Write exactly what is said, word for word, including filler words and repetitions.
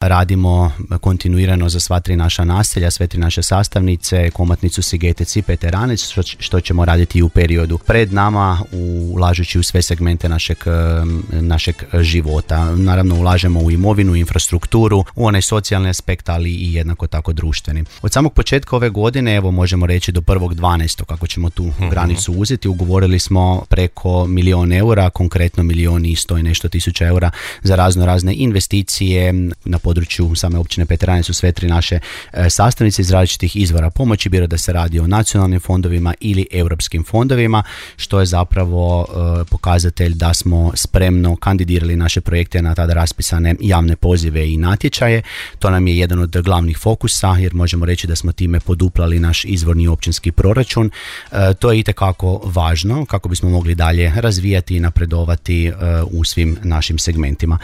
radimo kontinuirano za sva tri naša naselja, sve tri naše sastavnice, Komotnicu, Sigetec i Peteranec, što, što ćemo raditi i u periodu pred nama, ulažući u sve segmente našeg, našeg života. Naravno ulažemo u imovinu, infrastrukturu, u onaj socijalni aspekt, ali i jednako tako društveni. Od samog početka ove godine, evo možemo reći do prvog dvanaestog kako ćemo tu mm-hmm. granicu uzeti, ugovorili smo preko milion eura, konkretno milion i sto i nešto tisuća eura za razno razne investicije na području same općine Peteranec u sve tri naše e, sastavnice iz različitih izvora pomoći, bilo da se radi o nacionalnim fondovima ili europskim fondovima, što je zapravo e, pokazatelj da smo spremno kandidirali naše projekte na tada raspisane javne pozive i natječaje. To nam je jedan od glavnih fokusa, jer možemo reći da smo time poduplali naš izvorni općinski proračun. E, to je itekako važno kako bismo mogli dalje razvijati i napredovati e, u svim našim segmentima.